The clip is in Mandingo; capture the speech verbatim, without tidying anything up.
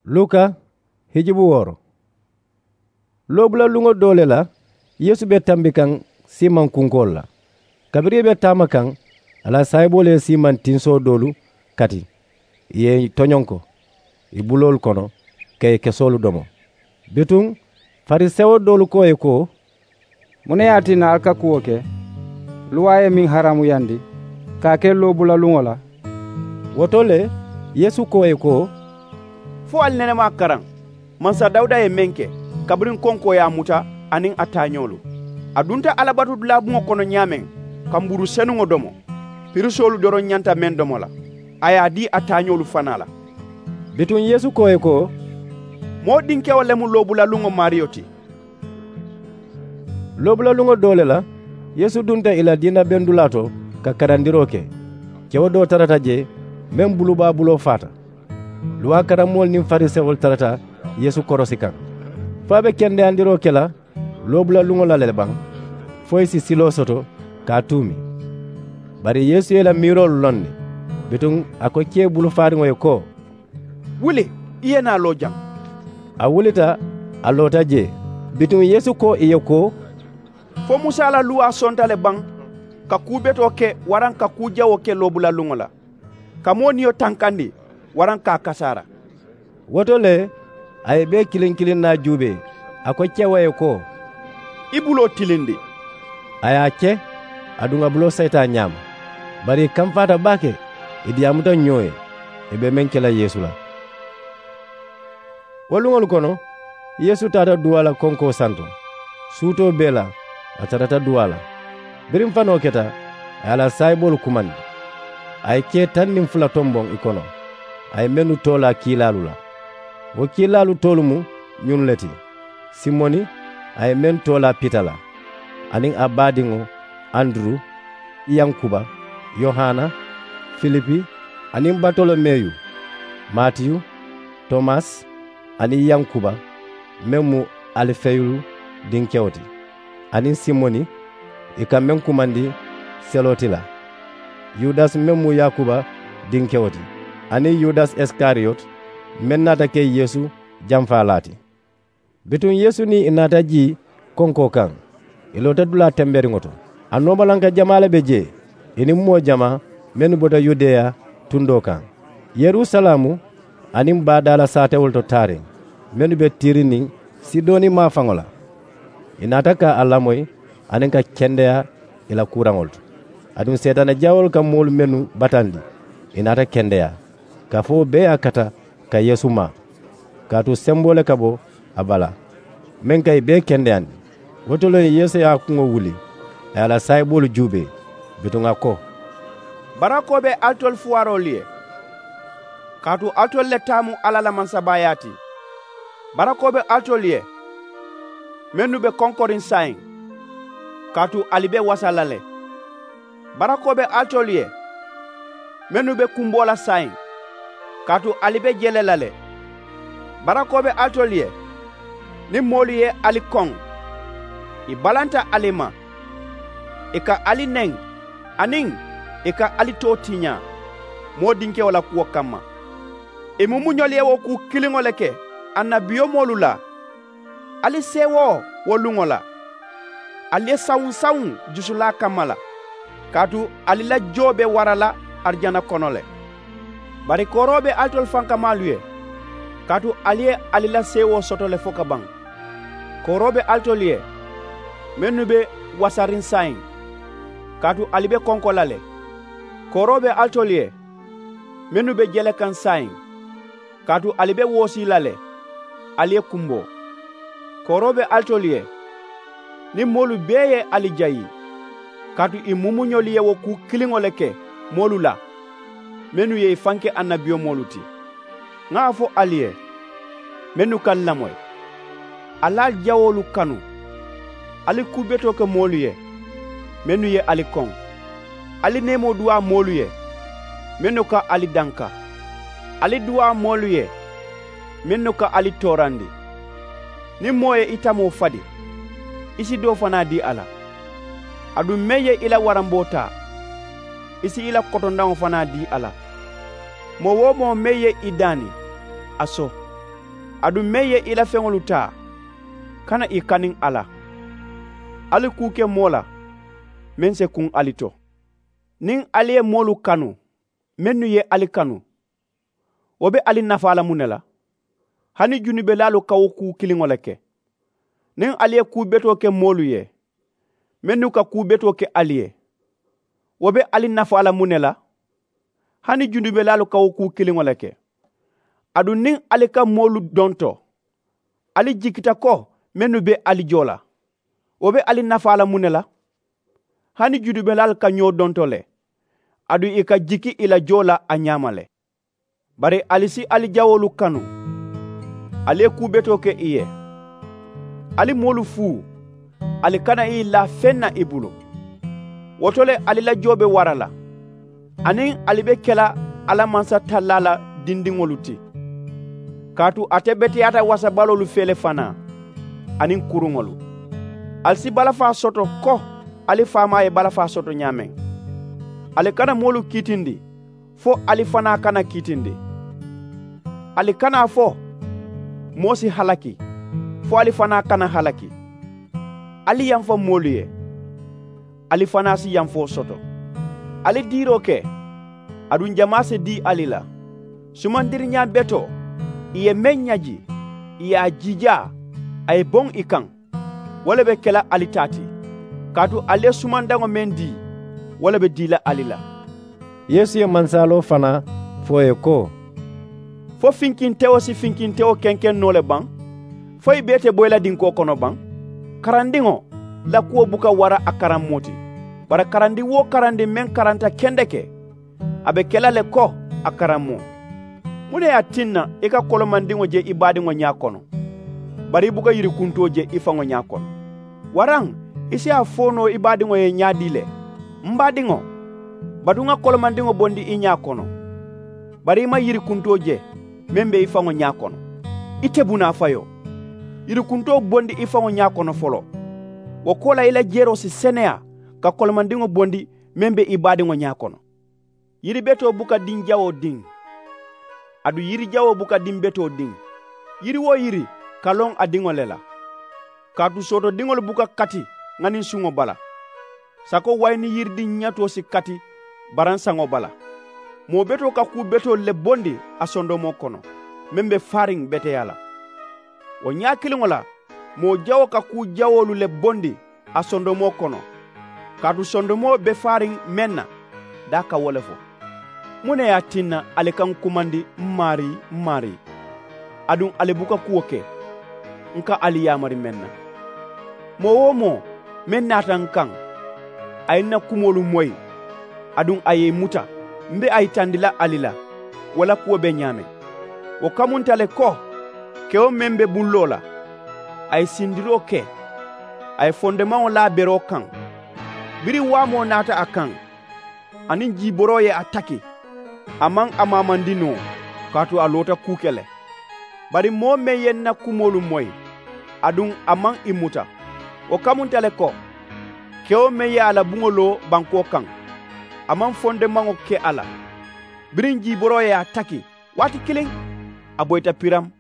Luka hijibu wooro. Loobula luŋo doo le la, Yeesu be tambi kaŋ siimaŋ kunkoolu la. Kabiriŋ ì be taama kaŋ, a la saayiboolu ye siimaŋ tinsoo doolu kati, ì ye ì toñonko ì buloolu kono ka ì kesoolu domo. Bituŋ, farisewo doolu ko ì ye ko, muŋ ne ye a tinna ali ka kuwo ke luwaa ye meŋ haraamuyandi ka a ke loobula luŋo la? Wo to le, Yeesu ko ì ye ko, fo ali nene maŋ a karaŋ mansa dawuda ye meŋ ke, kabiriŋ konkoo ye a muta aniŋ a taañoolu. A dunta alabatudulaa buŋo kono ñaameŋ ka mburu senuŋo domo, pirisoolu doroŋ ñanta meŋ domo la, a ye a dii a taañoolu fanaa la. Bituŋ yeesu ko ì ye ko, moo dinkewo le mu loobula luŋo maariyo ti. Loobula luŋo doo le la, yeesu dunta ì la diina bendulaa to ka karandiroo ke. Kewo doo tarata jee, meŋ bulubaabuloo faata. Luwaa karammoolu niŋ farisewolu tarata yeesu korosi kaŋ, fo a be kendeyandiroo ke la loobula luŋo la le baŋ, fo ì si siloo soto ka a tuumi. Bari yeesu ye ì la miiroolu loŋ ne. Bituŋ a ko kee bulu faariŋo ye ko, wuli, i ye naa loo jaŋ. A wulita, a loota jee. Bituŋ yeesu ko ì ye ko, fo musa la luwaa sonta le baŋ ka kuu betoo ke waraŋ ka kuu jawoo ke loobula luŋo la, ka moo niyo tankandi waraŋ ka a kasaara? Wo to le, a ye bee kiliŋ kiliŋ naa juubee, a ko kewo ye ko, i buloo tilindi. A ye a ke, aduŋ a buloo sayita a ñaama. Bari ì kamfaata baake, ì diyaamuta ñoo ye ì be meŋ ke la yeesu la. Wo luŋolu kono, yeesu taata duwaa la konkoo santo. Suutoo bee la, a tarata duwaa la. Biriŋ fanoo keta, a ye a la saayiboolu kumandi. A ye kee taŋ niŋ fula tomboŋ ì kono, a ye mennu toolaa kiilaalu la. Wo kiilaalu toolu mu ñunnu le ti: simoni, a ye meŋ toolaa pita la, aniŋ a baadiŋo anduru, yankuba, yohana, filipi, aniŋ batolomeyu, matiyu, tomasi, aniŋ yankuba meŋ mu alifeyu dinkewo ti, aniŋ simoni, ì ka meŋ kumandi seloti la, yudasi meŋ mu yakuba dinkewo ti, aniŋ yudasi isikariyoti meŋ naata ke yeesu janfaalaa ti. Bituŋ yeesu niŋ ì naata jii konkoo kaŋ, ì loota dulaa temberiŋo to. A noomalanka jamaa le be jee, ì niŋ moo jamaa mennu bota yudeya tundoo kaŋ, yerusalaamu, aniŋ baadaala saatewolu to taariŋ, mennu be tiiri niŋ sidoni maafaŋo la. Ì naata ka a lamoyi aniŋ ka kendeyaa ì la kuuraŋolu to. Aduŋ seetaane jawoolu ka moolu mennu batandi, ì naata kendeyaa, kaafewo bee ye a kata ka yeesu maa, kaatu semboo le ka bo a bala meŋ ka ì bee kendeyandi. Wo to le yeesu ye a kuŋo wuli, a ye a la saayiboolu juubee. Bituŋ a ko, barakoo be alitolu fuwaroolu ye, kaatu alitolu le taa mu alla la mansabaayaa ti. Barakoo be alitolu ye mennu be konkoriŋ saayiŋ, kaatu ali be wasa la le. Barakoo be alitolu ye mennu be kumboo la saayiŋ, kaatu ali be jele la le. Barakoo be alitolu ye niŋ moolu ye ali koŋ, ì balanta ali ma, ì ka ali neŋ, aniŋ ì ka ali too tiñaa moo dinkewo la kuwo kamma. Ì mumuñolu ye wo kuu kiliŋo le ke annabiyomoolu la. Ali seewoo wo luŋo la. Ali ye sawuŋ-sawuŋ jusulaa kamma la, kaatu ali la joo be wara la arijana kono le. Bari kooroo be alitolu fankamaalu ye, kaatu ali ye ali la seewoo soto le fokabaŋ. Kooroo be alitolu ye mennu be wasariŋ saayiŋ, kaatu ali be konko la le. Kooroo be alitolu ye mennu be jele kaŋ saayiŋ, kaatu ali be woosii la le, ali ye kumboo. Kooroo be alitolu ye niŋ moolu bee ye ali jayi, kaatu ì mumuñolu ye wo kuu kiliŋo le ke moolu la mennu ye ì fanke annabiyomoolu ti. Ŋa a fo ali ye, mennu ka ali lamoyi, ali ali jawoolu kanu. Ali kuu betoo ke moolu ye mennu ye ali koŋ. Ali neemoo duwaa moolu ye mennu ka ali danka. Ali duwaa moolu ye mennu ka ali toorandi. Niŋ moo ye i tamoo fadi, i si doo fanaa dii a la. Aduŋ meŋ ye i la waramboo taa, i si i la kotondaŋo fanaa dii a la. Moo-wo-moo meŋ ye i daani, a so. Aduŋ meŋ ye i la feŋolu taa, kana ì kaniŋ a la. Ali kuu ke moo la meŋ si kuŋ ali to. Niŋ ali ye moolu kanu mennu ye ali kanu, wo be ali nafaa la muŋ ne la? Hani junubelaalu ka wo kuu kiliŋo le ke. Niŋ ali ye kuu betoo ke moolu ye mennu ka kuu betoo ke ali ye, wo be ali nafaa la muŋ ne la? Hani junubelaalu ka wo kuu kiliŋo le ke. Aduŋ niŋ ali ka moolu donto, ali jikita ko mennu be ali joo la, wo be ali nafaa la muŋ ne la? Hani junubelaalu ka ñoo donto le, aduŋ ì ka jiki ì la joo la a ñaama le. Bari ali si ali jawoolu kanu, ali ye kuu betoo ke ì ye. Ali moolu fuu, ali kana ì laa feŋ na ì bulu. Wo to le ali la joo be wara la, aniŋ ali be ke la alla mansatallaa la dindiŋolu ti. Kaatu ate beteyaata wasabaloolu fee le fanaa, aniŋ kuruŋolu. Ali si balafaa soto ko ali faamaa ye balafaa soto ñaameŋ. Ali kana moolu kiitindi fo ali fanaa kana kiitindi. Ali kana a fo moo si halaki fo ali fanaa kana halaki. Ali yamfa moolu ye, ali fanaa si yamfoo soto. Ali diiroo ke, aduŋ jamaa si dii ali la. Sumandiriñaa betoo, ì ye meŋ ñaji, ì ye a jiijaa, a ye boŋ ì kaŋ, wo le be ke la ali taa ti. Kaatu ali ye sumandaŋo meŋ dii, wo le be dii la ali la. Yeesu ye mansaaloo fanaa fo ì ye ko, fo finkintewo si finkintewo kenkeŋ noo le baŋ? Fo ì bee te boyi la dinkoo kono baŋ? Karandiŋo la kuwo buka wara a karammoo ti. Bari karandi-wo-karandi meŋ karanta kendeke, a be ke la le ko a karammoo. Muŋ ne ye a tinna i ka kolomandiŋo je i baadiŋo ñaa kono, bari i buka yirikuntoo je i faŋo ñaa kono? Waraŋ i si a fo noo i baadiŋo ye ñaadii le, m baadiŋo, batu ŋa kolomandiŋo bondi i ñaa kono? Bari i maŋ yirikuntoo je meŋ be i faŋo ñaa kono. Ite bunaa fayoo, yirikuntoo bondi i faŋo ñaa kono foloo. Wo koolaa i la jeroo si seneyaa ka kolomandiŋo bondi meŋ be i baadiŋo ñaa kono. Yiri betoo buka diŋ jawoo diŋ, aduŋ yiri jawoo buka diŋ betoo diŋ. Yiri-wo-yiri ka loŋ a diŋo le la. Kaatu sootodiŋolu buka kati ŋaninsuŋo bala. Sako wayini yiridiŋ ñatoo si kati baransaŋo bala. Moo betoo ka kuu betoolu le bondi a sondomoo kono meŋ be faariŋ beteyaa la. Wo ñaa kiliŋo la moo jawoo ka kuu jawoolu le bondi a sondomoo kono, kaatu sondomoo be faariŋ meŋ na, daa ka wo le fo. Muŋ ne ye a tinna ali ka ǹ kumandi, m maarii, m maarii, aduŋ ali buka kuwo ke ǹ ka ali yaamari meŋ na? Moo-wo-moo meŋ naata ǹ kaŋ, a ye ǹ na kumoolu moyi, aduŋ a ye ì muta m be a yitandi la ali la, wo la kuwo be ñaameŋ. Wo kamunta le ko kewo meŋ be bulloo la, a ye sindiroo ke, a ye fondemaŋo laa beroo kaŋ. Biriŋ waamoo naata a kaŋ, aniŋ jiiboroo ye a taki, a maŋ a maamandi noo, kaatu a loota kuu ke le. Bari moo meŋ ye ǹ na kumoolu moyi, aduŋ a maŋ ì muta, wo kamunta le ko kewo meŋ ye a la buŋo loo bankoo kaŋ, a maŋ fondemaŋo ke a la. Biriŋ jiiboroo ye a taki, waati kiliŋ a boyita piramu,